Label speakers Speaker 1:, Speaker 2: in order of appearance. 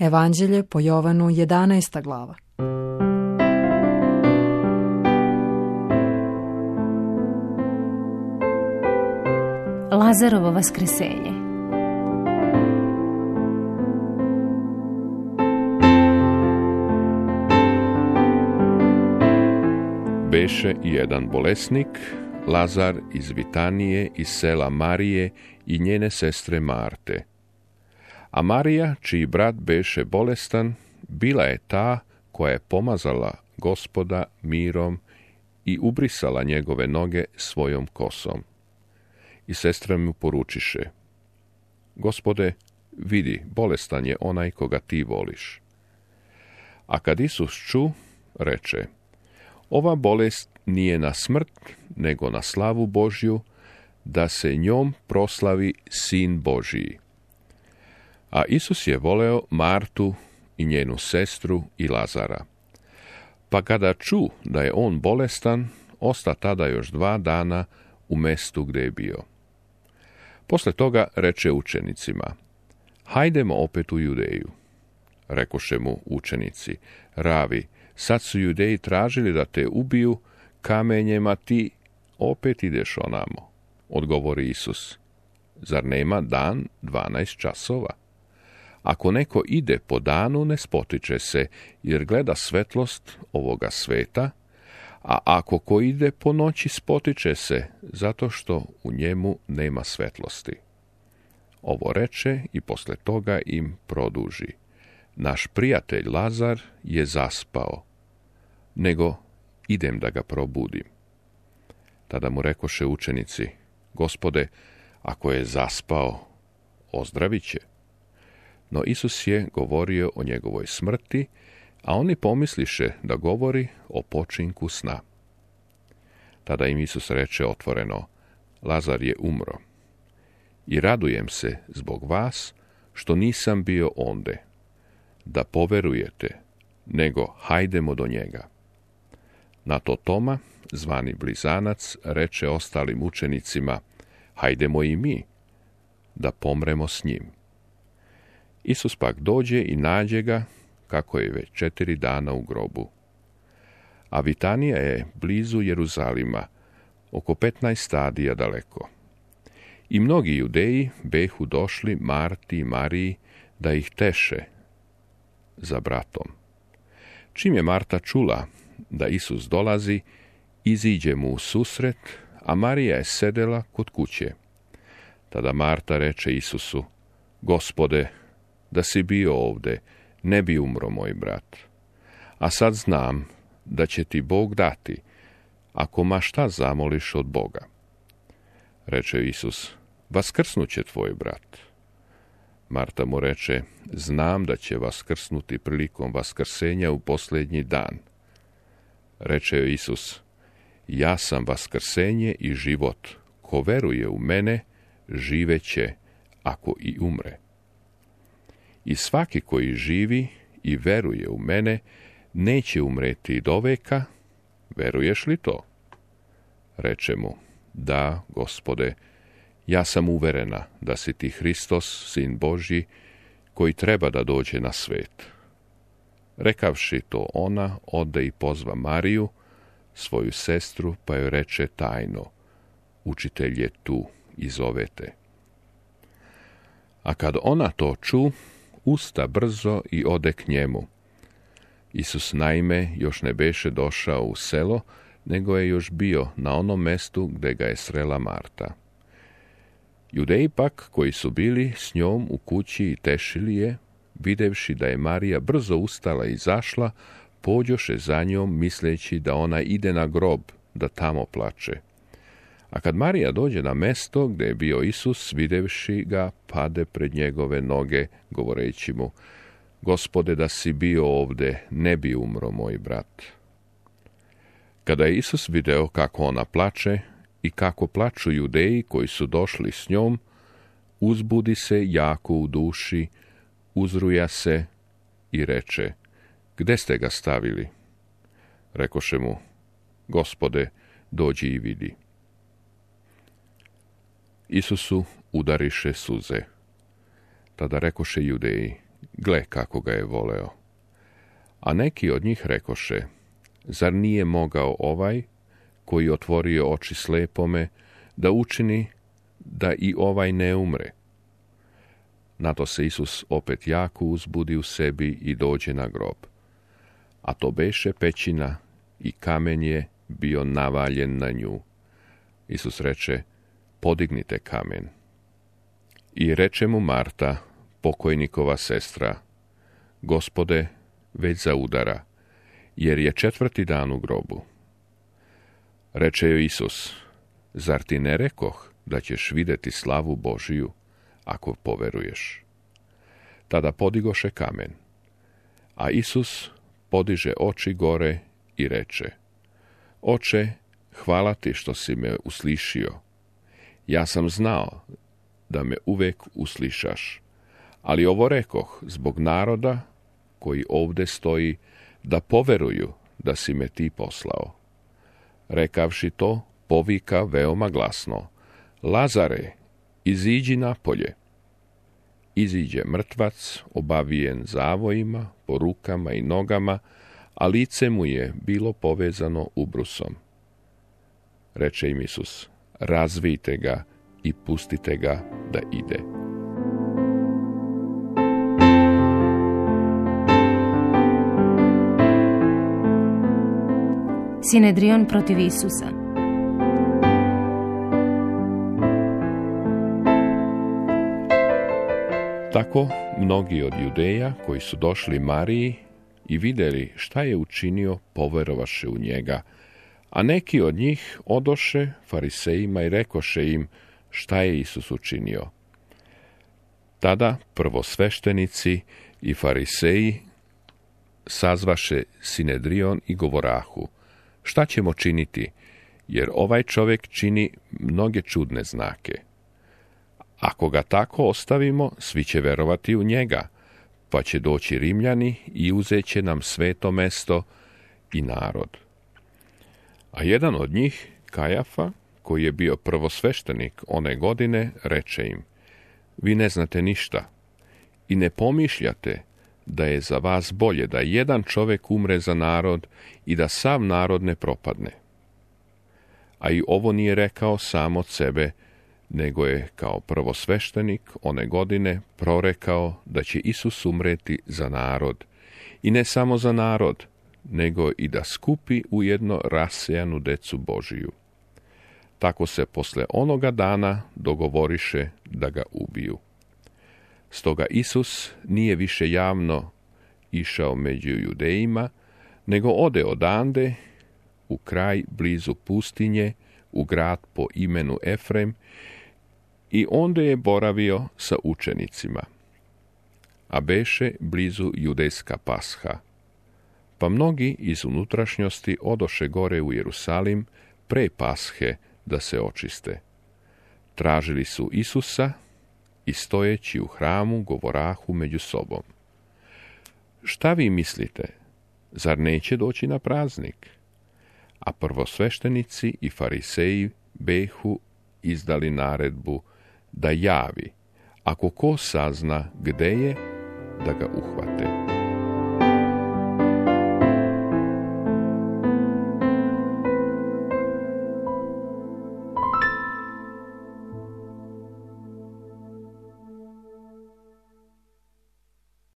Speaker 1: Evanđelje po Jovanu 11. glava.
Speaker 2: Lazarovo vaskrsenje.
Speaker 3: Beše jedan bolesnik, Lazar iz Vitanije, iz sela Marije i njene sestre Marte. A Marija, čiji brat beše bolestan, bila je ta koja je pomazala Gospoda mirom i ubrisala njegove noge svojom kosom. I sestre mu poručiše: Gospode, vidi, bolestan je onaj koga ti voliš. A kad Isus ču, reče: Ova bolest nije na smrt, nego na slavu Božju, da se njom proslavi Sin Božiji. A Isus je voleo Martu i njenu sestru i Lazara. Pa kada ču da je on bolestan, osta tada još 2 dana u mestu gdje je bio. Posle toga reče učenicima: Hajdemo opet u Judeju. Rekoše mu učenici: Ravi, sad su Judeji tražili da te ubiju kamenjem, a ti opet ideš onamo. Odgovori Isus: Zar nema dan 12 časova? Ako neko ide po danu, ne spotiče se, jer gleda svetlost ovoga sveta, a ako ko ide po noći, spotiče se, zato što u njemu nema svetlosti. Ovo reče i posle toga im produži: Naš prijatelj Lazar je zaspao, nego idem da ga probudim. Tada mu rekoše učenici: Gospode, ako je zaspao, ozdravit će. No Isus je govorio o njegovoj smrti, a oni pomisliše da govori o počinku sna. Tada im Isus reče otvoreno: Lazar je umro. I radujem se zbog vas što nisam bio onde, da poverujete, nego hajdemo do njega. Na to Toma, zvani Blizanac, reče ostalim učenicima: Hajdemo i mi, da pomremo s njim. Isus pak dođe i nađe ga, kako je već 4 dana u grobu. A Vitanija je blizu Jeruzalima, oko 15 stadija daleko. I mnogi Judeji behu došli Marti i Mariji da ih teše za bratom. Čim je Marta čula da Isus dolazi, iziđe mu u susret, a Marija je sedela kod kuće. Tada Marta reče Isusu: Gospode, da si bio ovde, ne bi umro moj brat. A sad znam da će ti Bog dati, ako ma šta zamoliš od Boga. Reče Isus: Vaskrsnuće tvoj brat. Marta mu reče: Znam da će vaskrsnuti prilikom vaskrsenja u posljednji dan. Reče joj Isus: Ja sam vaskrsenje i život. Ko veruje u mene, živeće, ako i umre. I svaki koji živi i veruje u mene, neće umreti doveka. Veruješ li to? Reče mu: Da, Gospode, ja sam uverena da si ti Hristos, Sin Božji, koji treba da dođe na svet. Rekavši to, ona ode i pozva Mariju, svoju sestru, pa joj reče tajno: Učitelj je tu i zove te. A kad ona to ču, usta brzo i ode k njemu. Isus naime još ne beše došao u selo, nego je još bio na onom mestu gde ga je srela Marta. Judeji pak, koji su bili s njom u kući i tešili je, videvši da je Marija brzo ustala i izašla, pođoše za njom, misleći da ona ide na grob, da tamo plače. A kad Marija dođe na mesto gde je bio Isus, videvši ga, pade pred njegove noge, govoreći mu: Gospode, da si bio ovde, ne bi umro moj brat. Kada je Isus video kako ona plače i kako plaču Judeji koji su došli s njom, uzbudi se jako u duši, uzruja se i reče: Gde ste ga stavili? Rekoše mu: Gospode, dođi i vidi. Isusu udariše suze. Tada rekoše Judeji: gle kako ga je voleo. A neki od njih rekoše, zar nije mogao ovaj, koji otvorio oči slepome, da učini da i ovaj ne umre? Na to se Isus opet jako uzbudi u sebi i dođe na grob. A to beše pećina i kamen je bio navaljen na nju. Isus reče, podignite kamen. I reče mu Marta, pokojnikova sestra, Gospode, već zaudara, jer je 4. dan u grobu. Reče joj Isus, zar ti ne rekoh da ćeš vidjeti slavu Božiju, ako poveruješ? Tada podigoše kamen. A Isus podiže oči gore i reče, Oče, hvala ti što si me uslišio. Ja sam znao da me uvek uslišaš, ali ovo rekoh zbog naroda koji ovde stoji, da poveruju da si me ti poslao. Rekavši to, povika veoma glasno, Lazare, iziđi napolje. Iziđe mrtvac, obavijen zavojima, po rukama i nogama, a lice mu je bilo povezano ubrusom. Reče im Isus, razvijte ga i pustite ga da ide.
Speaker 2: Sinedrion protiv Isusa.
Speaker 3: Tako mnogi od Judeja koji su došli Mariji i vidjeli šta je učinio, poverovaše u njega, a neki od njih odoše farisejima i rekoše im šta je Isus učinio. Tada prvosveštenici i fariseji sazvaše Sinedrion i govorahu, šta ćemo činiti, jer ovaj čovjek čini mnoge čudne znake. Ako ga tako ostavimo, svi će verovati u njega, pa će doći Rimljani i uzet će nam sveto mesto i narod. A jedan od njih, Kajafa, koji je bio prvosveštenik one godine, reče im, vi ne znate ništa i ne pomišljate da je za vas bolje da jedan čovjek umre za narod i da sav narod ne propadne. A i ovo nije rekao sam od sebe, nego je kao prvosveštenik one godine prorekao da će Isus umreti za narod, i ne samo za narod, nego i da skupi ujedno rasejanu decu Božiju. Tako se posle onoga dana dogovoriše da ga ubiju. Stoga Isus nije više javno išao među Judejima, nego ode odande u kraj blizu pustinje, u grad po imenu Efrem, i onda je boravio sa učenicima. A beše blizu judejska Pasha. Pa mnogi iz unutrašnjosti odoše gore u Jerusalim pre Pashe da se očiste. Tražili su Isusa i stojeći u hramu govorahu među sobom. Šta vi mislite, zar neće doći na praznik? A prvosveštenici i fariseji behu izdali naredbu da javi, ako ko sazna gde je, da ga uhvate.